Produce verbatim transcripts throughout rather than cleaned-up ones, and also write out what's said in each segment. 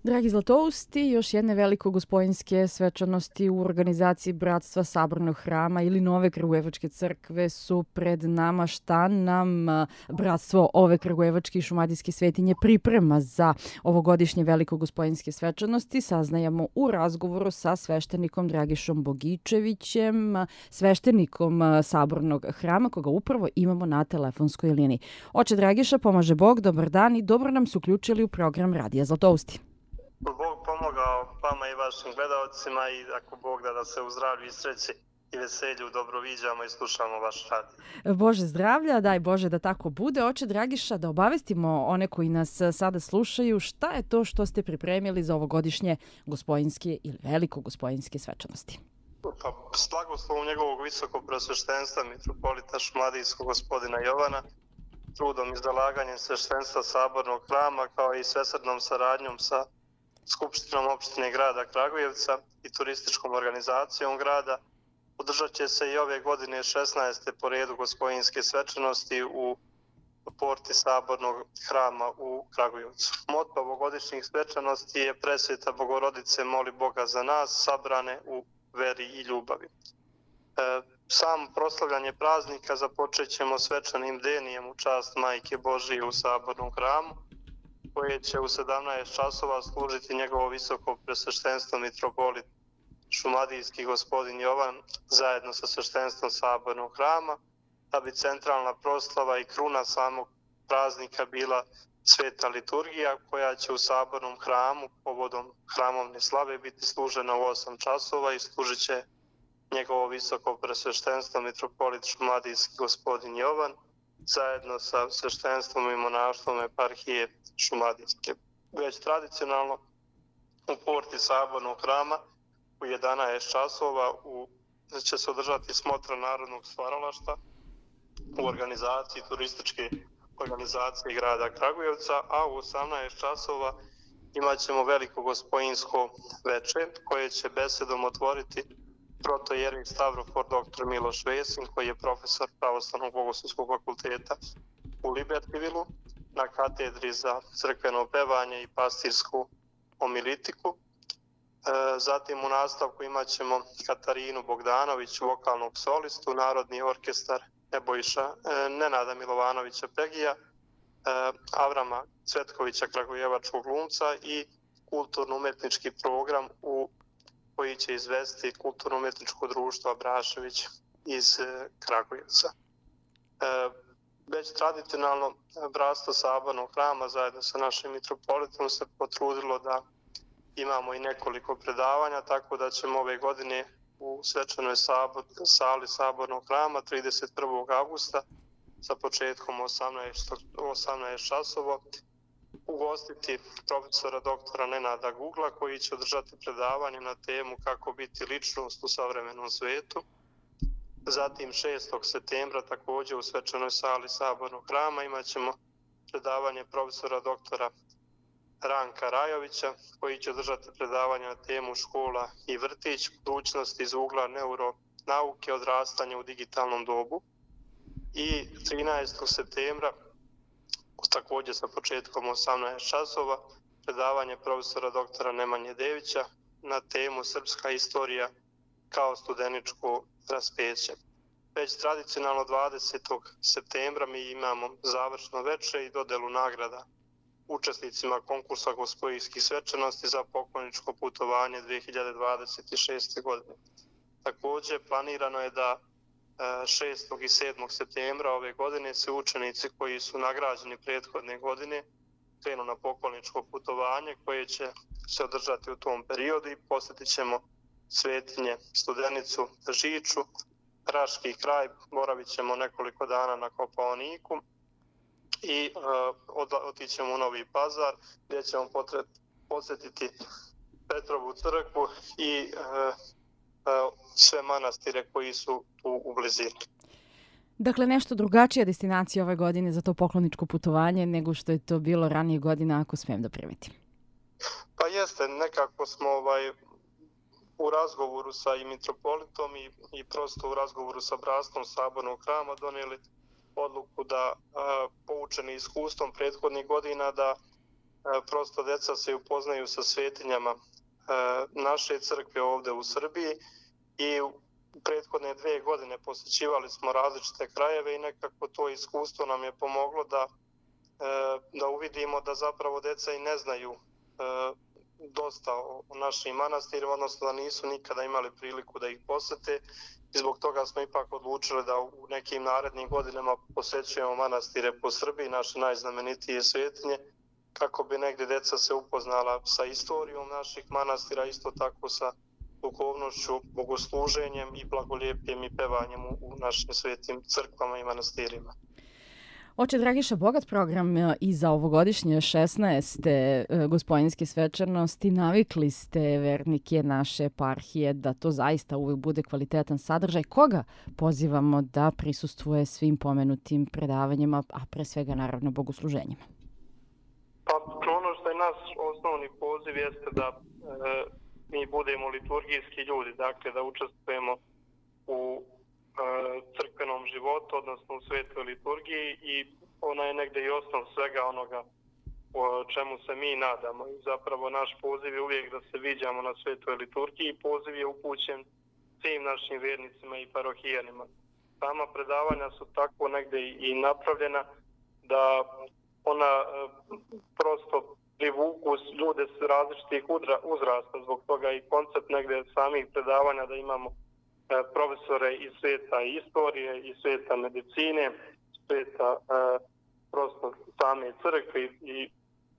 Dragi Zlatousti, još jedne veliko gospojinske svečanosti u organizaciji Bratstva Sabornog hrama ili Nove Kragujevačke crkve su pred nama. Šta nam Bratstvo ove Kragujevačke i Šumadijske svetinje priprema za ovogodišnje veliko gospojinske svečanosti? Saznajemo u razgovoru sa sveštenikom Dragišom Bogičevićem, sveštenikom Sabornog hrama, koga upravo imamo na telefonskoj liniji. Oče Dragiša, pomaže Bog, dobar dan i dobro nam su uključili u program Radija Zlatousti. Bog pomogao vama i vašim gledalcima i ako Bog da da se u zdravlju i sreći i veselju dobro viđamo i slušamo vaš rad. Bože zdravlja, daj Bože da tako bude. Oče Dragiša, da obavestimo one koji nas sada slušaju, šta je to što ste pripremili za ovogodišnje gospojinske ili veliko gospojinske svečanosti? Pa, s blagoslovom njegovog visokog preosveštenstva mitropolita Šumadijskog gospodina Jovana, trudom i zalaganjem sveštenstva Sabornog hrama kao i svesrdnom saradnjom sa Skupštinom opštine grada Kragujevca i turističkom organizacijom grada održat će se i ove godine šesnaeste po redu gospojinske svečanosti u porti Sabornog hrama u Kragujevcu. Moto ovogodišnjih svečanosti je Presveta Bogorodice moli Boga za nas, sabrane u veri i ljubavi. E, sam proslavljanje praznika započet ćemo svečanim denijem u čast Majke Božije u Sabornom hramu, koje će u sedamnaest časova služiti njegovo visoko presveštenstvo mitropolit Šumadijski gospodin Jovan zajedno sa sveštenstvom Sabornog hrama, da bi centralna proslava i kruna samog praznika bila sveta liturgija koja će u Sabornom hramu povodom hramovne slave biti služena u osam časova i služit će njegovo visoko presveštenstvo mitropolit Šumadijski gospodin Jovan zajedno sa sveštenstvom i monaštvom eparhije Šumadijske. Već tradicionalno u porti Sabornog hrama u jedanaest časova u, će se održati smotra narodnog stvaralaštva u organizaciji turističke organizacije grada Kragujevca, a u osamnaest časova imat ćemo veliko gospojinsko veče koje će besedom otvoriti protojerik Stavrofor doktor Miloš Vesin, koji je profesor Pravoslavnog bogoslovskog fakulteta u Libertivilu na katedri za crkveno pevanje i pastirsku homilitiku. Zatim u nastavku imat ćemo Katarinu Bogdanović, vokalnog solistu, Narodni orkestar Nebojša, Nenada Milovanovića Pegija, Avrama Cvetkovića Kragujevačkog glumca i kulturno-umetnički program u koji će izvesti kulturno-umetničko društvo Abrašević iz Kragujevca. Već tradicionalno Bratstvo Sabornog hrama zajedno sa našim mitropolitom se potrudilo da imamo i nekoliko predavanja, tako da ćemo ove godine u svečanoj sabor, sali Sabornog hrama trideset prvog avgusta sa početkom osamnaest časova ugostiti profesora doktora Nenada Gugla koji će održati predavanje na temu kako biti ličnost u savremenom svetu. Zatim šestog septembra također u svečanoj sali Sabornog hrama imat ćemo predavanje profesora doktora Ranka Rajovića koji će održati predavanje na temu škola i vrtić, budućnost iz ugla neuronauke, odrastanje u digitalnom dobu. I trinaestog septembra također sa početkom osamnaest časova predavanje profesora doktora Nemanje Devića na temu Srpska istorija kao studeničko raspeće. Već tradicionalno dvadesetog septembra mi imamo završno veče i dodelu nagrada učesnicima konkursa gospojinskih svečanosti za pokloničko putovanje dve hiljade dvadeset šeste. godine. Također planirano je da šestog i sedmog septembra ove godine se učenici koji su nagrađeni prethodne godine krenu na pokloničko putovanje koje će se održati u tom periodu i posjetit ćemo Svetinje, Studenicu, Žiču, Raški kraj, boravit ćemo nekoliko dana na Kopaoniku i uh, otićemo u Novi Pazar gdje ćemo potret, posjetiti Petrovu crkvu i uh, uh, sve manastire koji su tu u blizini. Dakle, nešto drugačija destinacija ove godine za to pokloničko putovanje nego što je to bilo ranije godina, ako smijem da primetim. Pa jeste, nekako smo ovaj, u razgovoru sa i mitropolitom i, i prosto u razgovoru sa Bratstvom Sabornog hrama donijeli odluku da a, poučeni iskustvom prethodnih godina da prosto deca se upoznaju sa svetinjama naše crkve ovde u Srbiji i u prethodne dve godine posjećivali smo različite krajeve i nekako to iskustvo nam je pomoglo da, da uvidimo da zapravo deca i ne znaju dosta o našim manastirima, odnosno da nisu nikada imali priliku da ih posete i zbog toga smo ipak odlučili da u nekim narednim godinama posjećujemo manastire po Srbiji, naše najznamenitije svetinje, kako bi negdje deca se upoznala sa istorijom naših manastira, isto tako sa duhovnošću, bogosluženjem i blagolijepjem i pevanjem u našim svetim crkvama i manastirima. Oče Dragiša, bogat program i za ovogodišnje šesnaeste gospojinske svečanosti. Navikli ste vernike naše eparhije da to zaista uvek bude kvalitetan sadržaj. Koga pozivamo da prisustvuje svim pomenutim predavanjima, a pre svega naravno bogosluženjima? Pa ono što je naš osnovni poziv jeste da e, mi budemo liturgijski ljudi, dakle da učestvujemo u crkvenom životu, odnosno u svetoj liturgiji i ona je negdje i osnov svega onoga o čemu se mi nadamo. I zapravo naš poziv je uvijek da se viđamo na svetoj liturgiji. Poziv je upućen svim našim vjernicima i parohijanima. Sama predavanja su tako negdje i napravljena da ona prosto privuku ljude s različitih uzrasta, zbog toga i koncept negdje samih predavanja da imamo profesore iz sveta istorije, iz sveta medicine, sveta e, prosto same crkve i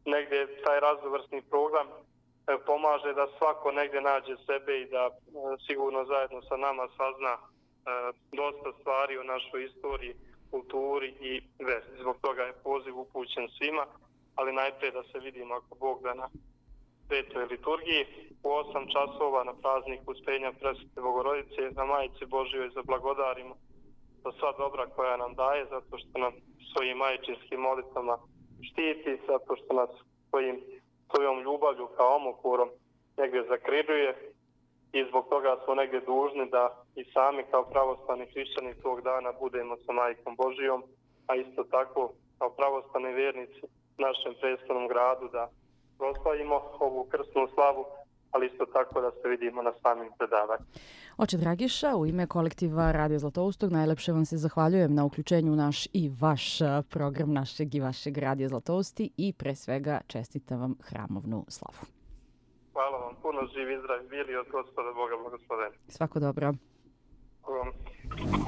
negdje taj raznovrsni program e, pomaže da svako negdje nađe sebe i da e, sigurno zajedno sa nama sazna e, dosta stvari o našoj istoriji, kulturi i veri. Zbog toga je poziv upućen svima, ali najprije da se vidimo ako Bog da na svetoj liturgiji u osam časova na praznik Uspenja Presvete Bogorodice, na Majici Božjoj zablagodarimo za sva dobra koja nam daje, zato što nam svojim majčinskim molitvama štiti, zato što nas svojim, svojom ljubavlju kao omokurom negdje zakrižuje i zbog toga smo negdje dužni da i sami kao pravoslavni hrišćani tog dana budemo sa Majkom Božjom, a isto tako kao pravoslavni vjernici našem predstavnom gradu da proslavimo ovu krsnu slavu, ali isto tako da se vidimo na samim predavanju. Oče Dragiša, u ime kolektiva Radio Zlatoustog najlepše vam se zahvaljujem na uključenju u naš i vaš program, našeg i vašeg Radio Zlatousti i pre svega čestitam vam hramovnu slavu. Hvala vam, puno živi i zdravi bili od Gospoda Boga blagosloveni. Svako dobro. Hvala vam.